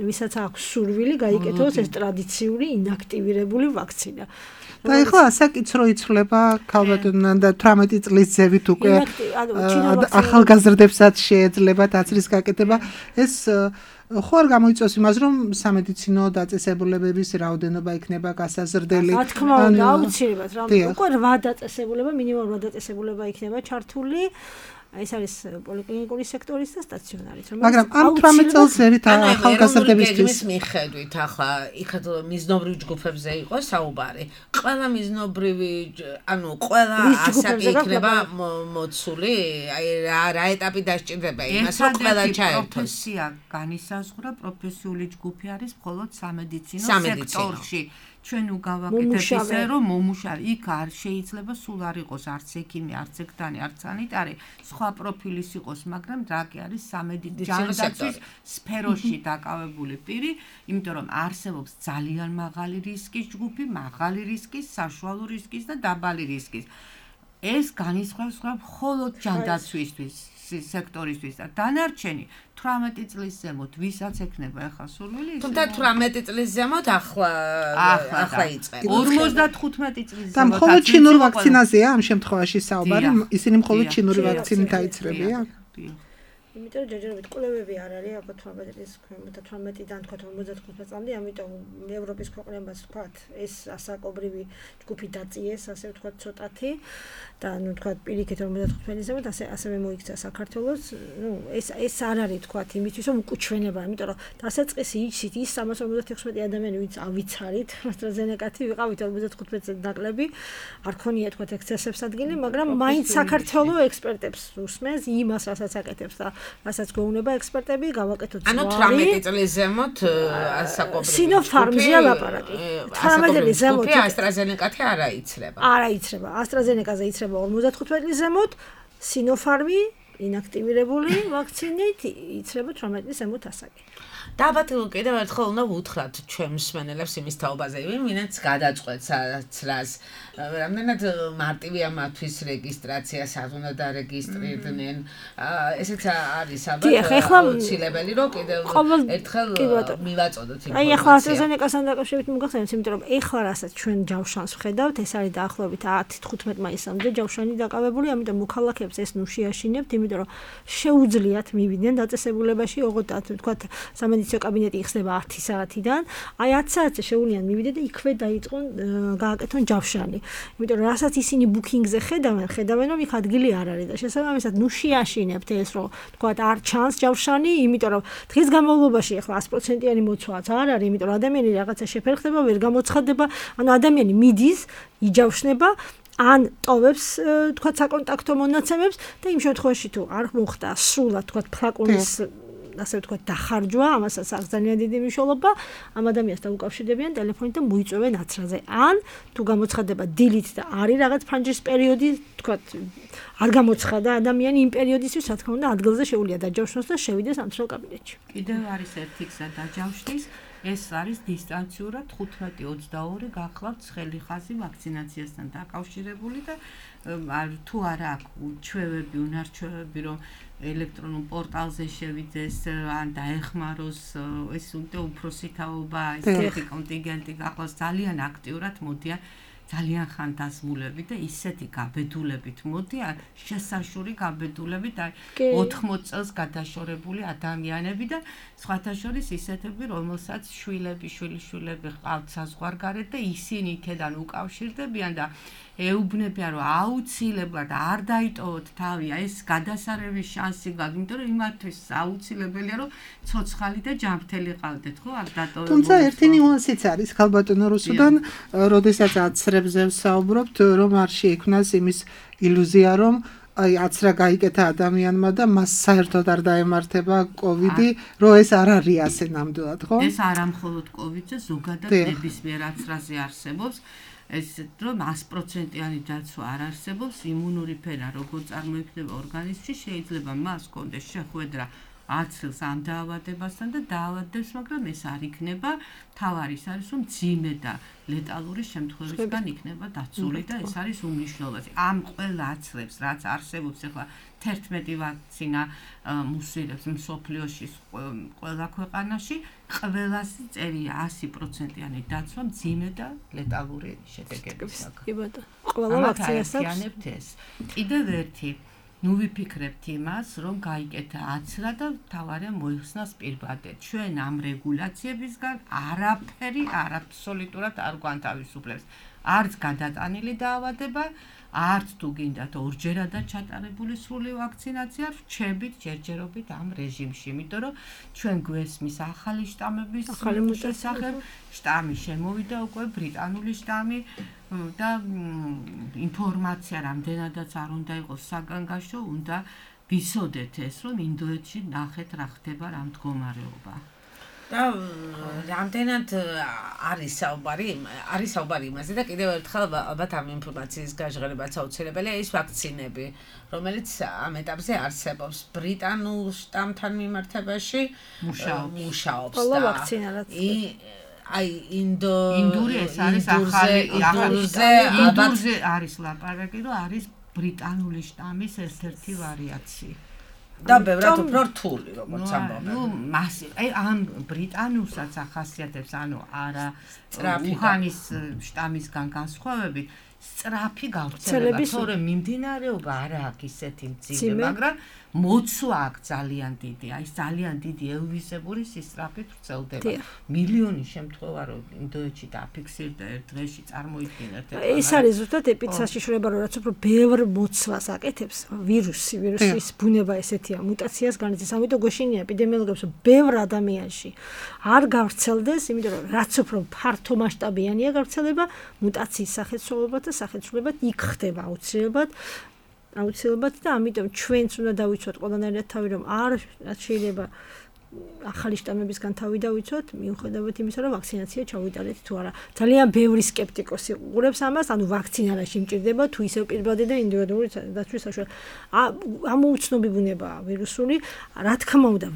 ვისაც აქვს სურვილი გაიკეთოს ეს ტრადიციული ინაქტივირებული ვაქცინა და ეხლა ასაკიცრო იცვლება ქალბატონთან და 18 წლის ზევით უკვე ახალგაზრდებსაც შეეძლება დაცრის გაკეთება ეს ხო არ გამოიწვევს იმას რომ სამედიცინო დაწესებულებების რაოდენობა იქნება გასაზრდელი რა თქმა უნდა აუცილებლად რა უკვე 8 დაწესებულება მინიმუმ 8 დაწესებულება იქნება ჩართული ეს არის პოლიკლინიკური სექტორის და სტაციონარის მაგრამ ამ 18 წელს ზევით ახალგაზრდებისთვის მიხედვით ახლა იქად მიზნობრივ ჯგუფებზე იყო საუბარი ყველა მიზნობრივი ანუ ყველა ასაკი იქნება მოცული აი რა ეტაპი დასჭირდება იმას რომ ყველა ჩაერთოს პროფესია განისაზღვრა პროფესიული ჯგუფი არის მხოლოდ სამედიცინო სექტორში ჩვენ უგავაკეთებ ისე რომ მომუშავე იქ არ შეიძლება სულ არ იყოს არც ექიმი არც ექთანი არც სანიტარი სხვა პროფილის იყოს მაგრამ რა კი არის სამედიცინო სფეროში დაკავებული პირი იმიტომ რომ არსებობს ძალიან მაღალი რისკის ჯგუფი მაღალი რისკის საშუალო რისკის და დაბალი რისკის ეს განისხვავებს მხოლოდ ჯანდაცვისთვის სექტორისთვის და დანარჩენი 18 წლის ზემოთ ვისაც ექნება ახლა სურვილი თუმცა 18 წლის ზემოთ ახლა იწყება 55 წლის ზემოთ და მხოლოდ ჩინურ ვაქცინაზეა ამ შემთხვევაში საუბარი ისინი მხოლოდ ჩინური ვაქცინით აიცრებიან იმიტომ რომ ჯერჯერობით კვლევები არ არის აბა 18-დან თქვა 55 წამდე ამიტომ ევროპის ქვეყნებაც თქვა ეს ასაკობრივი ჯგუფი დაწიეს ასე ვთქვა ცოტათი და ნუ თქვა პირიქით 55-ზემოთ ასევე მოიქცა საქართველოს ნუ ეს არ არის თქვა იმისთვის რომ უკუჩვენება იმიტომ რომ დასაწყისი იცით ის 356 ადამიანი ვინც ავიცარით AstraZeneca-ი ვიყავით 55-ზე ნაკლები არ ქონია თქვა ექსცესებს ადგილი მაგრამ მაინც საქართველოს ექსპერტებს უსმენს იმას რასაც აკეთებს და რასაც გვეუბნება ექსპერტები გავაკეთოთ ანუ 18 წლის ზემოთ ასაკობრივი სინოფარმზეა ლაპარაკი 18 წლის ზემოთ AstraZeneca-ი არ აიცრება AstraZeneca-ზე იცრება 55 წლის ზემოთ სინოფარმი ინაქტივირებული ვაქცინით იცრება 18 წლის ზემოთ ასაკი და ალბათ კიდევ ერთხელ უნდა ვუთხრათ ჩვენ მსმენელებს იმის თაობაზე, ვინც გადაწყვეტს რას რამდენად მარტივია მათთვის რეგისტრაცია, სად უნდა დარეგისტრირდნენ. ესეც არის ალბათ აუცილებელი, რომ კიდევ ერთხელ მივაწოდოთ ინფორმაცია. აი ახლა AstraZeneca-სთან დაკავშირებით მოგახსენებთ, იმიტომ რომ ეხლა რასაც ჩვენ ჯავშანს ვხედავთ, ეს არის დაახლოებით 10-15 მაისამდე ჯავშანი დაკავებული, ამიტომ მოქალაქეებს ეს ნუ შეაშინებთ, იმიტომ რომ შეუძლიათ მივიდნენ დაწესებულებაში, ოღონდ თქვა სამედიცინო კაბინეტი იხსნება 10 საათიდან, აი 10 საათზე შეუძლიან მივიდეთ და იქვე დაიწყონ გააკეთონ ჯავშანი. იმიტომ რომ რასაც ისინი ბუკინგზე ხედავენ რომ იქ ადგილი არ არის და შესაბამისად ნუ შეაშინებთ ეს რომ თქვა არ ჩანს ჯავშანი, იმიტომ რომ დღის განმავლობაში ახლა 100%-იანი მოცვაც არ არის, იმიტომ რომ ადამიანი რაღაცა შეფერხდება, ვერ გამოცხადდება, ანუ ადამიანი მიდის, იჯავშნება ან ტოვებს თქვა საკონტაქტო მონაცემებს და იმ შემთხვევაში თუ არ მოხდა სრულად თქვა ფლაკონის ასე ვთქვათ დახარჯვა, ამასაც აქვს ძალიან დიდი მნიშვნელობა, ამ ადამიანს დაუკავშირდებიან ტელეფონით და მოიწვევენ აცრაზე. ან თუ გამოცხადება დილით და არის რაღაც ფრანჯის პერიოდი, ვთქვათ, არ გამოცხადა ადამიანი იმ პერიოდისთვის, რა თქმა უნდა, ადგილზე შეუძლია დაჯავშნოს და შევიდეს სამთრალ კაბინეტში. კიდევ არის ერთი გზა დაჯავშნის, ეს არის დისტანციურად 15-22 გახლავთ ცხელი ხაზი ვაქცინაციასთან დაკავშირებული და თუ არა აქვს ჩვევები, უნარჩვევები, რომ ელექტრონულ პორტალზე შევიდეს ან დაეხმაროს ეს უნდა უფროსი თაობა, ესეთი კონტინგენტი გახლავს ძალიან აქტიურად მოდიან ძალიან ხანდაზმულები და ისეთი გაბედულებით მოდიან, შესაშური გაბედულებით, აი 80 წელს გადაშორებული ადამიანები და სხვათა შორის ისეთები, რომელსაც შვილები ყავთ საზღვარგარეთ და ისინი იქედან უკავშირდებიან და ეუბნებიან, რომ აუცილებლად არ დაიტოვოთ თავი, ეს გადასარევის შანსი გაქვს, იმიტომ რომ იმათთვის აუცილებელია, რომ ცოცხალი და ჯანმრთელი ყავდეთ, ხო? არ დატოვებულიყო. თუმცა ერთი ნიუანსიც არის ქალბატონო რუსუდან, როდესაც აცრებზე ვსაუბრობთ, რომ არ შეიქმნას იმის ილუზია, რომ აი აცრა გაიკეთა ადამიანმა და მას საერთოდ არ დაემართება კოვიდი, რომ ეს არ არის ასე ნამდვილად, ხო? ეს არა მხოლოდ კოვიდზე, ზოგადად ნებისმიერ აცრაზე არსებობს. ეს რომ 100%-იანი დაცვა არ არსებობს, იმუნური ფენა როგორ წარმოიქმნება ორგანიზმში, შეიძლება მას კონდეს შეხვედრა აცილს ამ დაავადებასთან და დაავადებს, მაგრამ ეს არ იქნება, თავარი ის არის, რომ ძიმე და ლეტალური შემთხვევებისგან იქნება დაცული და ეს არის უმნიშვნელოვანესი. ამ ყველა აცლებს, რაც არსებობს ახლა 11 ვაქცინა მუსირებს მსოფლიოში ყველა ქვეყანაში, ყველასი წერია 100%-იანი დაცვა ძიმე და ლეტალური შედეგებისგან. კი ბატონო. ყველა ვაქცინასაც ეს. კიდევ ერთი ნუ ვიფიქრებთ იმას, რომ გაიკეთა აცრა და თავარია მოიხსნას პირბადეთ. ჩვენ ამ რეგულაციებისგან არაფერი აბსოლუტურად არ გვანთავისუფლებს. არც გადატანილი დაავადება, არც თუ გინდათ ორჯერადად ჩატარებული სრული ვაქცინაცია, რჩებით ჯერჯერობით ამ რეჟიმში, იმიტომ რომ ჩვენ გვესმის ახალი შტამების შესახებ, შტამი შემოვიდა უკვე ბრიტანული შტამი და ინფორმაცია რამდენადაც არ უნდა იყოს საგანგაშო, უნდა ვიცოდეთ ეს, რომ ინდოეთში ნახეთ რა ხდება რა მდგომარეობა. და რამდენად არის საუბარი იმაზე და კიდევ ერთხელ ალბათ ამ ინფორმაციის გაჟღერებაც აუცილებელია ის ვაქცინები, რომელიც ამ ეტაპზე არსებობს ბრიტანულ შტამთან მიმართებაში მუშაობს ყველა ვაქცინა რაც აი ინდური ეს არის ახალი ინდურზე არის ლაპარაკი, რომ არის ბრიტანული შტამის ერთ-ერთი ვარიაცია. და ბევრად უფრო რთული, როგორც ამბობენ. ნუ აი ამ ბრიტანულსაც ახასიათებს, ანუ არა უჰანის შტამისგან განსხვავებით, სწრაფი გავრცელება, თორემ მიმდინარეობა არა აქვს ისეთი მძიმე, მაგრამ მოცვა აქვს ძალიან დიდი, აი ძალიან დიდი ელვისებური სისწრაფით ვრცელდება. მილიონი შემთხვევა რომ ინდოეთში დაფიქსირდა ერთ დღეში წარმოიდგინეთ. ეს არის ზუსტად ეპიცაშიშრება, რომ რაც უფრო ბევრ მოცვას აკეთებს ვირუსის ბუნება ესეთია, მუტაციას განიცდის. ამიტომ გვეშინია ეპიდემიოლოგებს, რომ ბევრ ადამიანში არ გავრცელდეს, იმიტომ რომ რაც უფრო ფართო მასშტაბიანია გავრცელება, მუტაციის სახეცვალებად და სახეცვლებად იქ ხდება აუცილებლად და ამიტომ ჩვენც უნდა დავიცვათ ყველანაირად თავი, რომ არ შეიძლება ახალი შტამებისგან თავი დავიცვათ, მიუხედავად იმისა, რომ ვაქცინაცია ჩავიტარეთ თუ არა. ძალიან ბევრი სკეპტიკოსი უყურებს ამას, ანუ ვაქცინა რა შემჭირდება, თუ ისევ პირბადე და ინდივიდუალური დაცვის საშუალება. ამ უცნობი ბუნებაა ვირუსული, რა თქმა უნდა,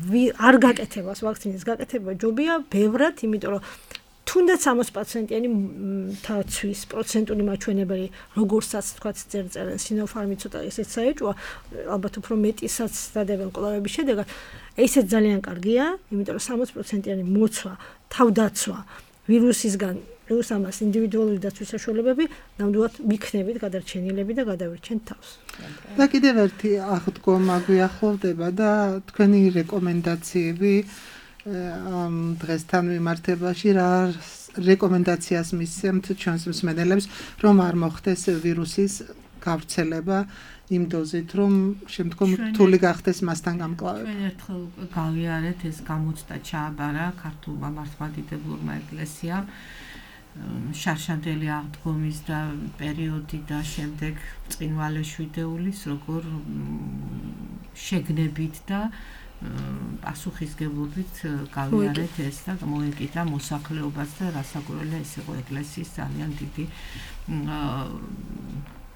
არ გაკეთებას ვაქცინის გაკეთება ჯობია ბევრად, იმიტომ რომ თუნდაც 60%-იანი დაცვის პროცენტული მაჩვენებელი, როგორცაც თქვა წერენ სინოფარმი ცოტა ესეც საეჭვია, ალბათ უფრო მეტისაც დადებენ კვლევების შედეგად. ესეც ძალიან კარგია, იმიტომ რომ 60%-იანი მოცვა, თავდაცვა ვირუსისგან პლუს ამას ინდივიდუალური დაცვის საშუალებები, ნამდვილად მიქნებით გადარჩენილები და გადავირჩენთ თავს. და კიდევ ერთი აღდგომა გვიახლოვდება და თქვენი რეკომენდაციები დღესთან მიმართებაში რა რეკომენდაციას მისცემთ ჩვენს მსმენელებს, რომ არ მოხდეს ვირუსის გავრცელება იმ დოზით, რომ შემდგომ რთული გახდეს მასთან გამკლავება. ჩვენ ერთხელ გავიარეთ ეს გამოცდა ჩააბარა ქართულმა მართლმადიდებლურმა ეკლესიამ შარშანდელი აღდგომის და პერიოდი და შემდეგ წინვალე შვიდეულის როგორ შეგნებით და პასუხისგებლობით გავიარეთ ეს და მოეკიდა მოსახლეობას და რასაკვირველია ეს იყო ეკლესიის ძალიან დიდი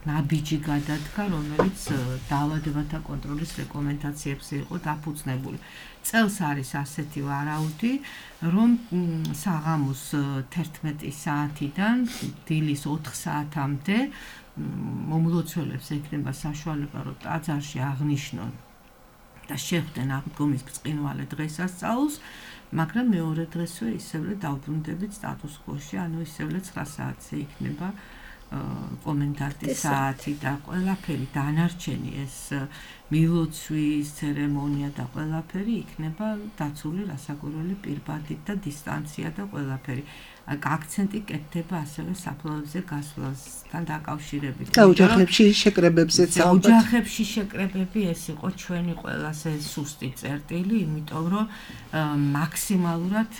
ნაბიჯი გადადგა, რომელიც დაავადებათა კონტროლის რეკომენდაციებზე იყო დაფუძნებული. წელს არის ასეთი ვარაუდი, რომ საღამოს 11 საათიდან დილის 4 საათამდე მომლოცველებს ექნება საშუალება, რომ ტაძარში აღნიშნონ და შეხვდნენ აღდგომის ბრწყინვალე დღესასწაულს, მაგრამ მეორე დღესვე ისევ დაუბრუნდებით სტატუს კვოში, ანუ ისევ 9 საათზე იქნება კომენდანტის საათი და ყველაფერი დანარჩენი ეს მილოცვის ცერემონია და ყველაფერი იქნება დაცული რასაკვირველი პირბადით და დისტანცია და ყველაფერი. აქცენტი კეთდება ასევე საფლავებზე გასვლასთან დაკავშირებით. და ოჯახებში შეკრებებზეც ოჯახებში შეკრებები ეს იყო ჩვენი ყველაზე სუსტი წერტილი, იმიტომ რომ მაქსიმალურად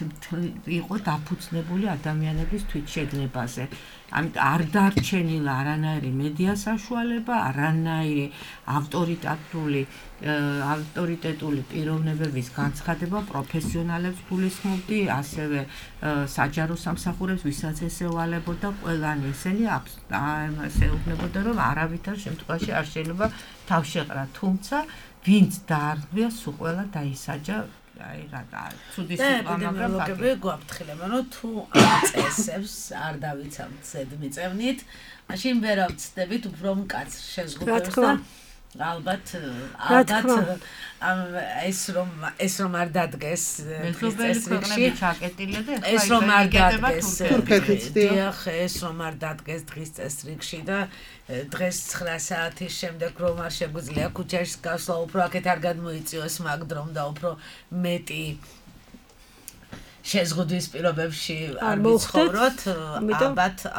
იყო დაფუძნებული ადამიანების თვითშეგნებაზე. ამიტომ არ დარჩენილა არანაირი მედია საშუალება, არანაირი ავტორიტეტული პიროვნებების განცხადება, პროფესიონალებს გულისხმობდი, ასევე საჯარო სამსახურებს, ვისაც ესევალებოდა ყველანი ესენი ეუბნებოდა, რომ არავითარ შემთხვევაში არ შეიძლება თავშეყრა, თუმცა ვინც დაარღვია, სულ ყველა დაისაჯა. აი რა ცუდი სიტყვა, მაგრამ ფაქტია გვაფრთხილება, რომ თუ ამ წესებს არ დავიცავთ ზედმიწევნით, მაშინ ვერ ავწდებით უფრო მკაცრ შეზღუდვებს და ალბათ ეს რომ არ დადგეს წესრიგში ჩაკეტილია და ეს რომ არ დადგეს თურქეთიც დიახ ეს რომ არ დადგეს დღის წესრიგში და დღეს 9 საათის შემდეგ რომ არ შეგვიძლია ქუჩაში გასვლა უფრო აქეთ არ გადმოიწიოს მაგ დრომ და უფრო მეტი შეზღუდვის პირობებში არ ვიცხოვროთ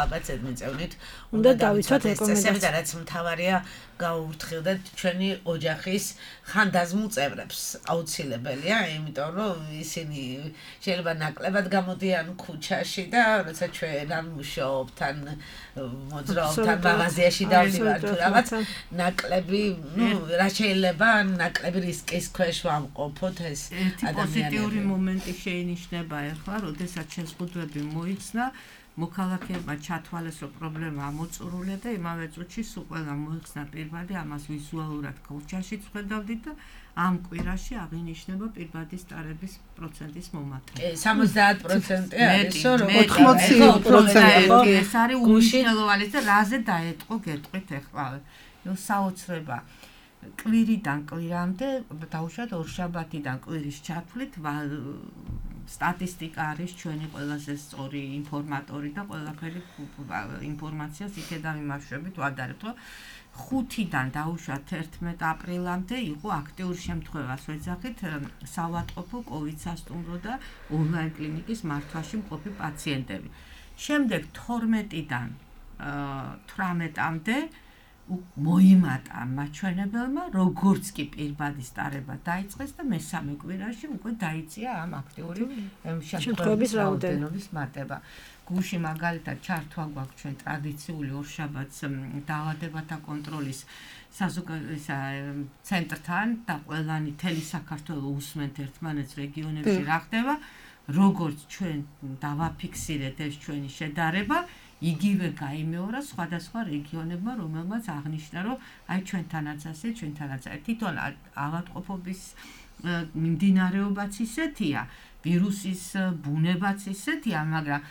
ალბათ ზედმიწევნით უნდა დავიცვათ რეკომენდაციები და რაც მთავარია გაუვრთხილდეთ ჩვენი ოჯახის ხანდაზმულ წევრებს აუცილებელია იმიტომ რომ ისინი შეიძლება ნაკლებად გამოდიან ქუჩაში და როცა ჩვენ არ მუშაობთ ან მოძრაობთ ან მაღაზიაში დავდივართ თუ რაღაც ნაკლები რა შეიძლება ნაკლები რისკის ქვეშ ვამყოფოთ ეს ადამიანები პოზიტიური მომენტი შეინიშნება ახლა როდესაც შეზღუდვები მოიცნა მოქალაქეებმა ჩათვალეს რომ პრობლემა ამოწურულია და იმავე წუთში სულ ყველა მოიხსნა პირბადი ამას ვიზუალურად ქუჩაში წვედავდით და ამ კვირაში აღინიშნება პირბადის ტარების პროცენტის მომატება. 70% არის რომ 80% ეს არის უმნიშვნელოვანესი და რაზე დაეტყო გეტყვით ახლა. საოცრება კვირიდან კვირამდე დაუშვათ ორშაბათიდან კვირის ჩათვლით სტატისტიკა არის ჩვენი ყველაზე სწორი ინფორმატორი და ყველაფერი ინფორმაციას იქედან ვიმარშვებით ვადარებთ რომ 5-დან დაუშვათ 11 აპრილამდე იყო აქტიური შემთხვევას ვეძახით საავადმყოფო COVID სასტუმრო და ონლაინ კლინიკის მართვაში მყოფი პაციენტები. შემდეგ 12-დან 18-მდე მოიმატა მაჩვენებელმა როგორც კი პირბადის ტარება დაიწყეს და მესამე კვირაში უკვე დაიწია ამ აქტიური შემთხვევების რაოდენობის მატება. გუშინ მაგალითად ჩართვა გვაქვს ჩვენ ტრადიციული ორშაბათს დაავადებათა კონტროლის ცენტრთან და ყველანი თელი საქართველოს უსმენთ ერთმანეთს რეგიონებში რა ხდება, როგორც ჩვენ დავაფიქსირეთ ეს ჩვენი შედარება იგივე გაიმეორა სხვადასხვა რეგიონებმა, რომელმაც აღნიშნა, რომ აი ჩვენთანაც ასე, ჩვენთანაც თვითონ ავადმყოფობის მიმდინარეობაც ისეთია, ვირუსის ბუნებაც ისეთია, მაგრამ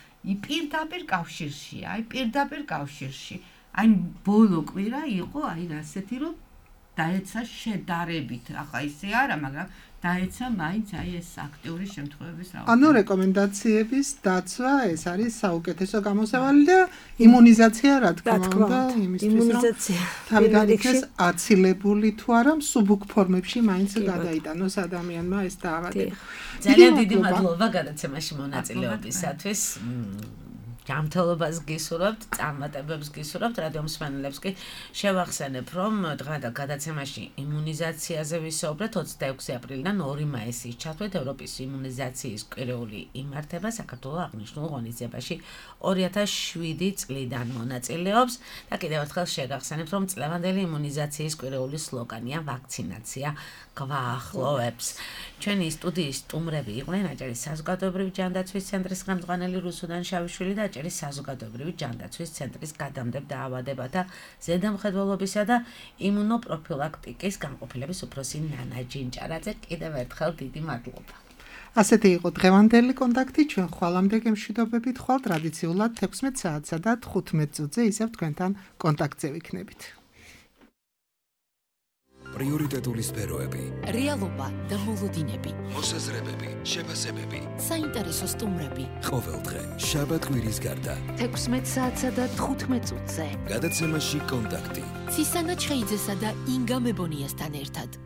პირდაპირ კავშირში. აი ბოლო კვირა იყო აი ასეთი, რომ დაეცა შედარებით, ახლა ისე არა, მაგრამ დაეცა მაინც აი ეს აქტიური შემთხვევების რაოდენობა. ანუ რეკომენდაციების დაცვა ეს არის საუკეთესო გამოსავალი და იმუნიზაცია რა თქმა უნდა იმისთვის რომ თავიდან იქნეს აცილებული თუ არა მსუბუქ ფორმებში მაინც გადაიტანოს ადამიანმა ეს დაავადება. ძალიან დიდი მადლობა გადაცემაში მონაწილეობისათვის. ჯანმრთელობას გისურვებთ, წარმატებებს გისურვებთ, რადიო მსმენელებს კი შევახსენებ, რომ დღევანდელ გადაცემაში იმუნიზაციაზე ვისაუბრეთ 26 აპრილიდან 2 მაისის ჩათვლით ევროპის იმუნიზაციის კვირეული იმართება საქართველოს აღნიშნულ ღონისძიებაში 2007 წლიდან მონაწილეობს და კიდევ ერთხელ შევახსენებ, რომ წლევანდელი იმუნიზაციის კვირეული სლოგანია ვაქცინაცია გვაახლოვებს. ჩვენი სტუდიის სტუმრები იყვნენ აჭარის საზოგადოებრივი ჯანდაცვის ცენტრის ხელმძღვანელი რუსუდან შავიშვილი და აჭარის საზოგადოებრივი ჯანდაცვის ცენტრის გადამდებ დაავადებათა ზედამხედველობისა და იმუნოპროფილაქტიკის განყოფილების უფროსი ნანა ჯინჭარაძე. კიდევ ერთხელ დიდი მადლობა. ასეთი იყო დღევანდელი კონტაქტი. ჩვენ ხვალამდე გემშვიდობებით ხვალ ტრადიციულად 16 საათსა და 15 წუთზე ისევ თქვენთან კონტაქტზე ვიქნებით. პრიორიტეტული სფეროები, რეალობა და მოლოდინები, მოსაზრებები, შეფასებები. საინტერესო სტუმრები. ყოველდღე, შაბათ-კვირის გარდა. 16 საათსა და 15 წუთზე. გადაცემაში კონტაქტი. ცისანა ჩხეიძესა და ინგა მებონიასთან ერთად.